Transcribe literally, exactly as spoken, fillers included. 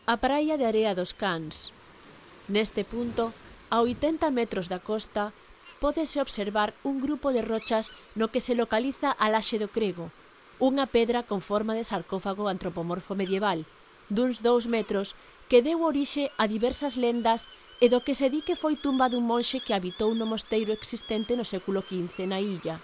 A praia de Area dos Cans. Neste punto, a oitenta metros da costa, pódese observar un grupo de rochas no que se localiza a Laxe do Crego, unha pedra con forma de sarcófago antropomorfo medieval, duns dous metros, que deu orixe a diversas lendas e do que se di que foi tumba dun monxe que habitou no mosteiro existente no século quince na illa.